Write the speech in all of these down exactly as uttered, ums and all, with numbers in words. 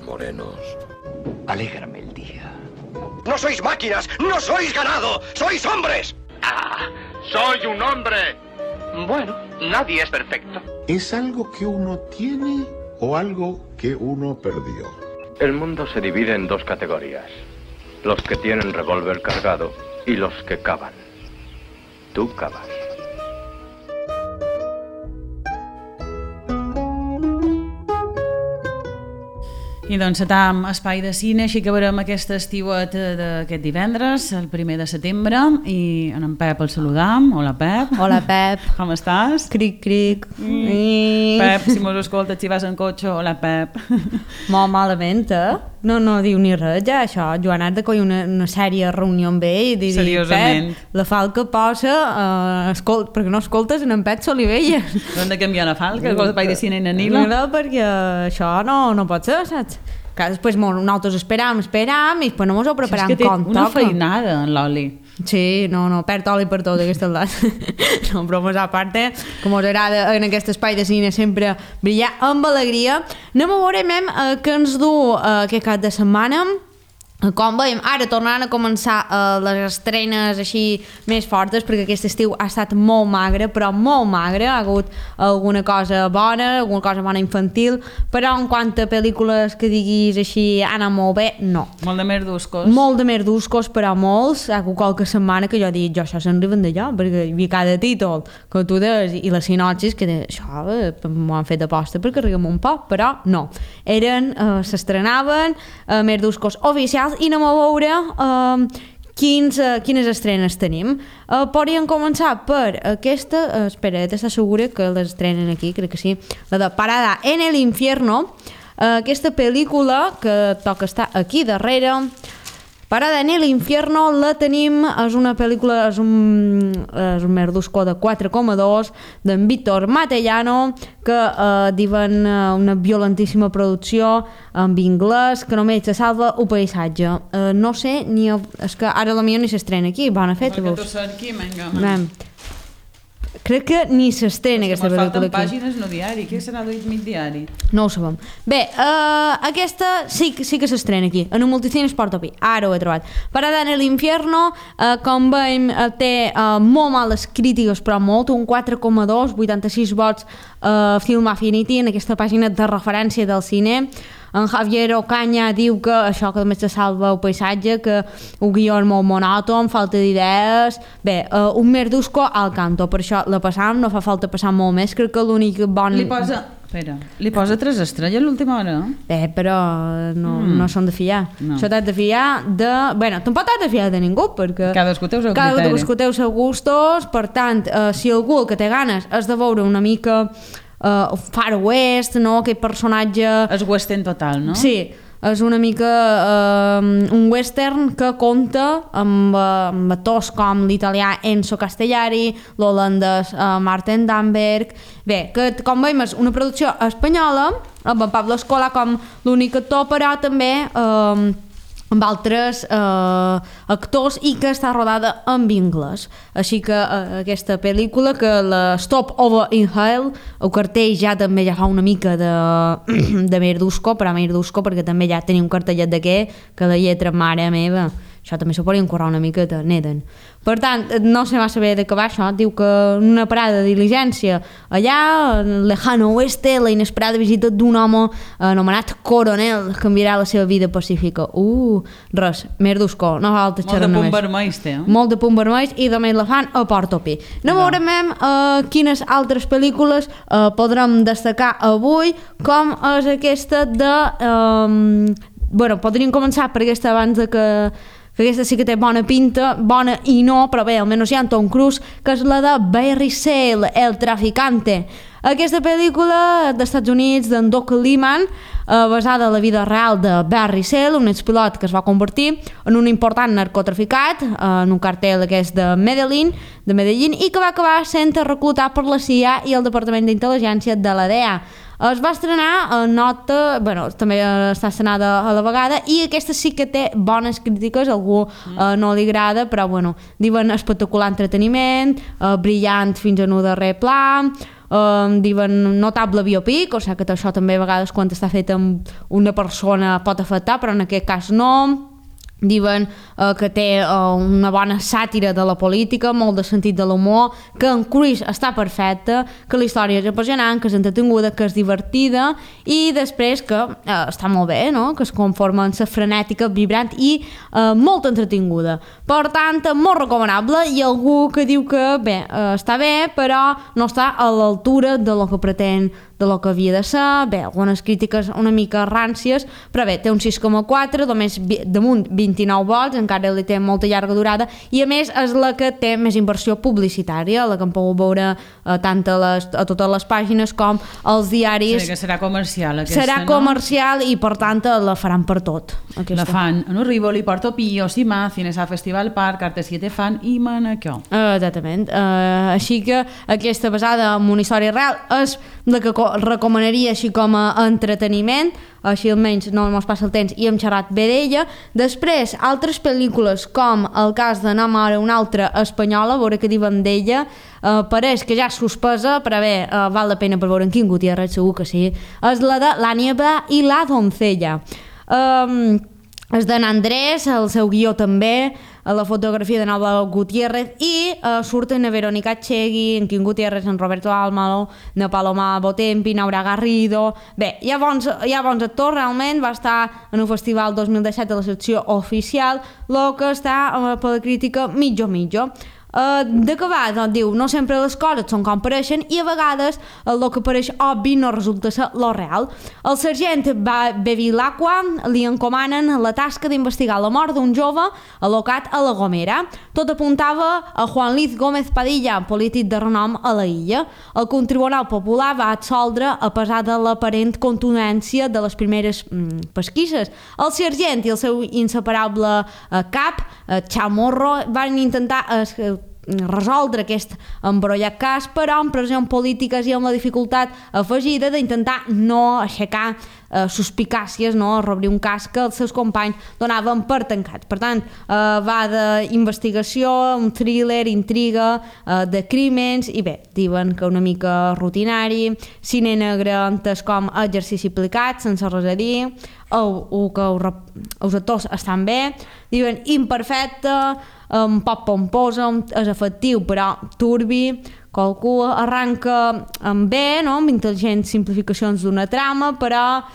morenos. Alégrame el día. ¡No sois máquinas! ¡No sois ganado! ¡Sois hombres! ¡Ah! ¡Soy un hombre! Bueno, nadie es perfecto. ¿Es algo que uno tiene o algo que uno perdió? El mundo se divide en dos categorías. Los que tienen revólver cargado y los que cavan. Tú cavas. I doncs atam espai de cine, així que veurem aquest estiuet d'aquest divendres, el primer de setembre, i en Pep el saludam. Hola, Pep. Hola, Pep. Com estàs? Cric, cric. Mm. Pep, si mos escoltes, si vas en cotxe, hola, Pep. Molt malament, eh? No, no diu ni res, ja, això. Joan ha de coll una, una sèrie reunió amb ell i dir, seriosament. Pep, la falca posa, uh, escolt, perquè no escoltes en en Pep Solivella. No hem de canviar la falca, el espai de cine i Nanila. No, perquè això no, no pot ser, saps? Que després nosaltres esperam, esperam i després no mos ho preparam com toca. És que té una toca. feinada en l'oli. Sí, no, no, perd oli per tot aquest edat. No, bromes a part, com us agrada en aquest espai de cine sempre brillar amb alegria. Anem a veure eh, què ens du eh, aquest cap de setmana. Com veiem, ara tornaran a començar eh, les estrenes així més fortes, perquè aquest estiu ha estat molt magre, però molt magre. Ha hagut alguna cosa bona, alguna cosa bona infantil, però en quant a pel·lícules que diguis així ha anat molt bé, no. Molt de merduscos. Molt de merduscos, però molts. Ha hagut qualque setmana que jo dic, jo això se'n riben d'allò, perquè hi havia cada títol que tu des i les sinopsis que de, això eh, m'ho han fet aposta perquè riguem un poc, però no. Eren, eh, s'estrenaven eh, merduscos oficials i anem a veure uh, quins, uh, quines estrenes tenim. Uh, podríem començar per aquesta, uh, espera, t'estàs segura que les estrenen aquí, crec que sí, la de Parada en el Infierno, uh, aquesta pel·lícula que toca estar aquí darrere. Parada en el Infierno la tenim, és una pel·lícula, és un, és un merdusco de quatre coma dos d'en Víctor Matellano, que eh, diuen una violentíssima producció en anglès, que només se salva el paisatge. Eh, no sé, ni el, és que ara potser ni s'estrena aquí, bona feta. Perquè tu cerqui, vinga, man. Crec que ni s'estrena aquesta pel·lícula aquí. Falten pàgines no diari, què serà mig diari? No ho sabem. Bé, uh, aquesta sí, sí que s'estrena aquí, en un multicine Sportopi, ara ho he trobat. Parada en l'Infierno, uh, com veiem, uh, té uh, molt males crítiques, però molt, un quatre coma dos, vuitanta-sis vots uh, Film Affinity, en aquesta pàgina de referència del cine. En Javier Ocaña diu que això que només se salva el paisatge, que un guió és molt monòton, falta d'idees. Bé, uh, un merdusco al canto, per això la passam, no fa falta passar molt més, crec que l'únic bon... Li posa... Espera, li posa tres estrelles a l'última hora? Bé, però no, mm. no són de fiar. No. Això t'has de fiar de... Bueno, tampoc t'has de fiar de ningú, perquè... Cadascú té el seu cada criteri. Cadascú té els seus gustos, per tant, uh, si algú el que té ganes és de veure una mica... Uh, Far West, no? Aquest personatge... És western total, no? Sí, és una mica uh, un western que compta amb, uh, amb actors com l'italià Enzo Castellari, l'holandès uh, Martin Damberg. Bé, que com veiem és una producció espanyola, amb en Pablo Escola com l'únic actor, però també... Uh, amb altres eh, actors i que està rodada en anglès. Així que eh, aquesta pel·lícula, que la Stop Over in Hell, el cartell ja també ja fa una mica de, de merdusco, però merdusco perquè també ja tenia un cartellet de què, que la lletra mare meva, això també s'ho podien currar una miqueta, neden. Per tant, no sé massa bé de què va això, diu que una parada de diligència allà, en lejano oeste, la inesperada visita d'un home anomenat Coronel canviarà la seva vida pacífica. Uh, res, merdusco, no fa falta xerrar només. Molt de punt vermells té, eh? Molt de punt vermells i també la fan a Portopi. No veurem uh, quines altres pel·lícules uh, podrem destacar avui, com és aquesta de... Um, bueno, podríem començar per aquesta abans de que... que aquesta sí que té bona pinta, bona i no, però bé, almenys hi ha Tom Cruise, que és la de Barry Sale, El Traficante. Aquesta pel·lícula d'Estats Units d'en Doc Liman, eh, basada en la vida real de Barry Sale, un expilot que es va convertir en un important narcotraficat, eh, en un cartel que és de Medellín, de Medellín, i que va acabar sent reclutat per la C I A i el Departament d'Intel·ligència de la D E A. Es va estrenar a nota, bueno, també està estrenada a la vegada, i aquesta sí que té bones crítiques, a algú eh, no li agrada, però bueno, diuen espectacular entreteniment, eh, brillant fins en un darrer pla, eh, diuen notable biopic, o sigui que això també a vegades quan està fet amb una persona pot afectar, però en aquest cas no. Diuen eh, que té eh, una bona sàtira de la política, molt de sentit de l'humor, que en Cruise està perfecta, que la història és apassionant, que és entretinguda, que és divertida i després que eh, està molt bé, no? Que es conforma en sa frenètica, vibrant i eh, molt entretinguda. Per tant, molt recomanable i algú que diu que bé, eh, està bé però no està a l'altura de lo que pretén, de lo que havia de ser, bé, algunes crítiques una mica ràncies, però bé, té un sis coma quatre, només damunt vint-i-nou vols, encara li té molta llarga durada i a més és la que té més inversió publicitària, la que hem pogut veure eh, tant a, les, a totes les pàgines com als diaris. Sí, que serà comercial aquesta, serà no? comercial i per tant la faran per tot. Aquesta. La fan en Rivoli, Porto Pio, Simà, Cinesa Festival Park, Arte siete Fan i Manacó. Uh, exactament. Uh, així que aquesta basada en una història real és la que recomanaria així com a entreteniment, així almenys no ens passa el temps i hem xerrat bé d'ella. Després, altres pel·lícules com el cas de Nom ara una altra espanyola, a veure què diuen d'ella, uh, pareix que ja és suspesa, però bé, uh, val la pena per veure en Quim Gutiérrez, segur que sí, és la de La niebla i la doncella. Um, és d'en Andrés, el seu guió també, la fotografia de Nova Gutiérrez i uh, surten a Verónica Chegui, en Quim Gutiérrez, en Roberto Almalo, na Paloma Botempi, Naura Garrido. Bé, hi ha bons, hi ha bons actors, realment va estar en un festival dos mil disset a la secció oficial, el que està uh, per la crítica mitjo-mitjo. Uh, de què va? Doncs diu, no sempre les coses són com pareixen i a vegades el que pareix obvi no resulta ser lo real. El sergent Bevilacqua li encomanen la tasca d'investigar la mort d'un jove al·locat a La Gomera. Tot apuntava a Juan Luis Gómez Padilla, polític de renom a la illa. El Tribunal Popular va absoldre a pesar de l'aparent contundència de les primeres mm, pesquises. El sergent i el seu inseparable eh, cap, eh, Chamorro, van intentar eh, resoldre aquest embrollat cas, però amb pressions polítiques i amb la dificultat afegida d'intentar no aixecar eh, suspicàcies, no reobrir un cas que els seus companys donaven per tancat. Per tant, eh, va d'investigació, un thriller, intriga, eh, de crímens, i bé, diuen que una mica rutinari, cine negre entès com exercici aplicat, sense res a dir, o, o que els actors estan bé, diuen imperfecte, un poc pomposa, és efectiu però turbi, qualcú arranca amb bé, no? Amb intel·ligents simplificacions d'una trama, però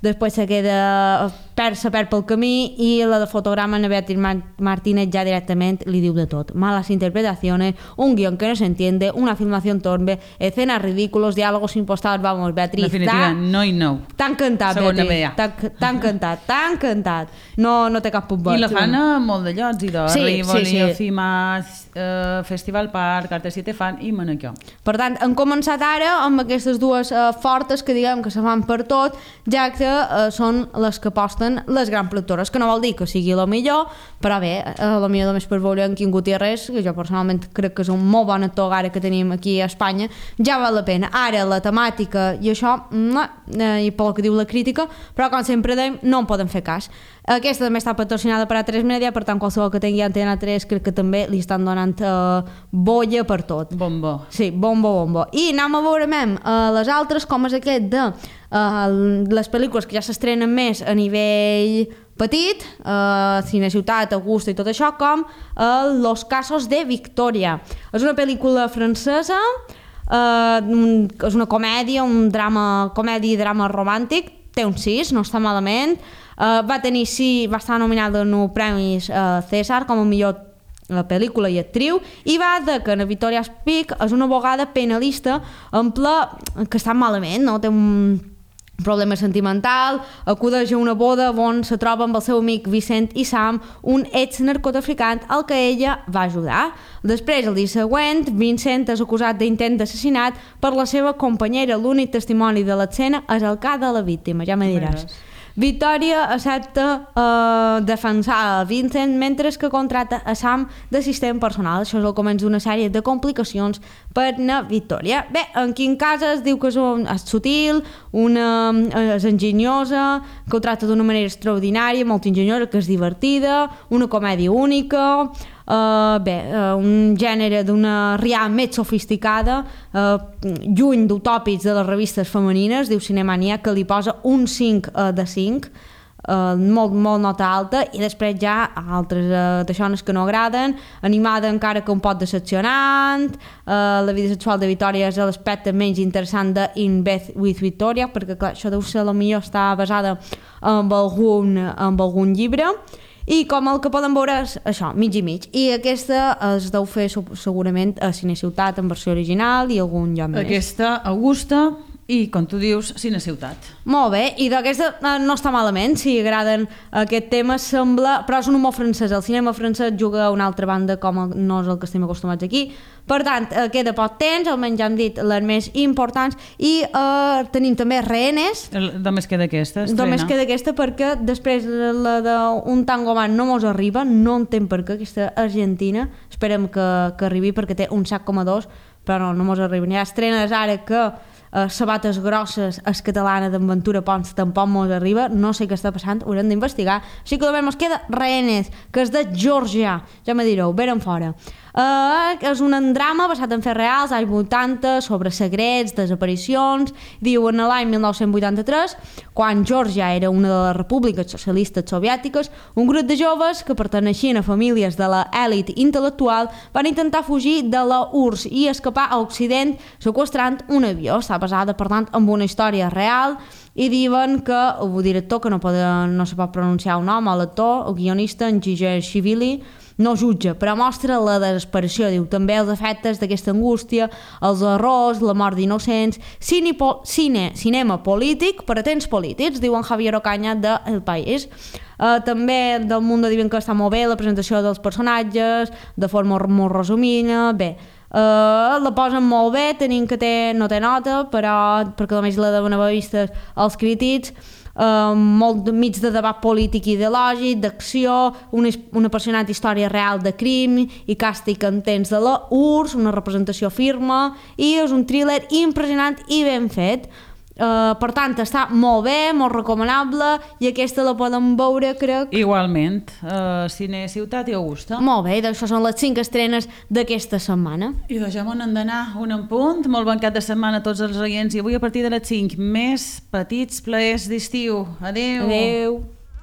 després se queda perd, se perd pel camí i la de fotograma de Beatriz Martínez ja directament li diu de tot. Malas interpretaciones, un guión que no se entiende, una filmación torpe, escenas ridículos, diálogos impostados, vamos, Beatriz. Definitiva, no i no. T'ha encantat, Beatriz. T'ha encantat, t'ha encantat. No, no té cap punt. I la fan a molt de llocs, i de sí, Rivoli, sí, sí. Cima, uh, Festival Park, Arte siete Fan i Manacó. Per tant, hem començat ara amb aquestes dues uh, fortes que diguem que se fan per tot, ja que uh, són les que aposten les grans productores, que no vol dir que sigui la millor, però bé, a la millor només per veure en Quim Gutiérrez, que jo personalment crec que és un molt bon actor ara que tenim aquí a Espanya, ja val la pena. Ara la temàtica i això, eh, i pel que diu la crítica, però com sempre dèiem, no en podem fer cas. Aquesta també està patrocinada per A tres Media, per tant qualsevol que tingui Antena tres crec que també li estan donant uh, bolla per tot. Bombo. Sí, bombo, bombo. I anem a veure mem, uh, les altres, com és aquest de uh, les pel·lícules que ja s'estrenen més a nivell petit, uh, Cine Ciutat, Augusta i tot això, com uh, Los casos de Victoria. És una pel·lícula francesa, uh, un, és una comèdia, un drama, comèdia i drama romàntic, té un sis, no està malament. Uh, va tenir sí, va estar nominada en els premis uh, César com a millor uh, pel·lícula i actriu, i va de que na Victoria Speak és una abogada penalista en ple que està malament, no? Té un problema sentimental, acudeix a una boda on se troba amb el seu amic Vicent i Sam, un ex-narcotraficant al que ella va ajudar. Després, el dia següent, Vincent és acusat d'intent d'assassinat per la seva companyera. L'únic testimoni de l'escena és el cas de la víctima, ja me diràs. Victoria accepta eh, defensar a Vincent mentre que contrata a Sam d'assistent personal. Això és el començ d'una sèrie de complicacions per a Victoria. Bé, en quin cas es diu que és, un, és sutil, una, és enginyosa, que ho tracta d'una manera extraordinària, molt enginyosa, que és divertida, una comèdia única. Uh, bé, uh, un gènere d'una rià més sofisticada, uh, lluny d'utòpics de les revistes femenines, diu Cinemania, que li posa un cinc uh, de cinc, Uh, molt, molt nota alta, i després ja altres uh, d'aixones que no agraden, animada encara que un pot decepcionant, uh, la vida sexual de Victoria és l'aspecte menys interessant de In Bed with Victoria, perquè clar, això deu ser la millor està basada en algun, en algun llibre, i com el que poden veure és això, mig i mig, i aquesta es deu fer segurament a Cineciutat en versió original i algun lloc més. Aquesta Augusta i, com tu dius, Cineciutat. Molt bé, i d'aquesta eh, no està malament, si agraden aquest tema, sembla, però és un humor francès, el cinema francès juga a una altra banda com el, no és el que estem acostumats aquí, per tant, eh, queda poc temps, almenys ja hem dit les més importants, i eh, tenim també Rehenes. Només queda aquesta, estrena. Només queda aquesta perquè després la d'un Tango Man no mos arriba, no entenc per què, aquesta argentina, esperem que, que arribi perquè té un set coma dos, però no, no mos arriba. Hi ha estrenes ara que Uh, Sabates Grosses és catalana d'Aventura Pons, tampoc mos arriba, no sé què està passant, ho haurem d'investigar. Així que només mos queda Rehenes, que és de Georgia, ja me direu, veren fora. Uh, és un drama basat en fets reals, anys vuitanta, sobre secrets, desaparicions. Diu, en l'any mil nou-cents vuitanta-tres, quan Georgia era una de les repúbliques socialistes soviètiques, un grup de joves que perteneixien a famílies de l'elit intel·lectual van intentar fugir de la U R S S i escapar a Occident seqüestrant un avió. Està basada, per tant, en una història real, i diuen que el director, que no, pot, no se pot pronunciar el nom, l'actor, el guionista, en Gigeshvili, no jutja, però mostra la desesperació, diu, també els efectes d'aquesta angústia, els errors, la mort d'innocents, cine, cine, cinema polític per a temps polítics, diu en Javier Ocaña de El País. Uh, també del Mundo diuen que està molt bé la presentació dels personatges, de forma molt resumida, bé, Uh, la posen molt bé, tenim que té, no té nota, però perquè només la deuen haver vistes els crítics, uh, molt mig de debat polític i ideològic, d'acció, una, una apassionant història real de crim i càstig en temps de la U R S S, una representació firme, i és un thriller impressionant i ben fet. Uh, per tant, està molt bé, molt recomanable, i aquesta la podem veure, crec. Igualment, uh, Cineciutat i Augusta. Molt bé, doncs això són les cinc estrenes d'aquesta setmana. I doncs ja m'ho n'han d'anar un en punt. Molt bon cap de setmana a tots els oients, i avui a partir de les cinc més petits plaers d'estiu. Adéu. Adéu.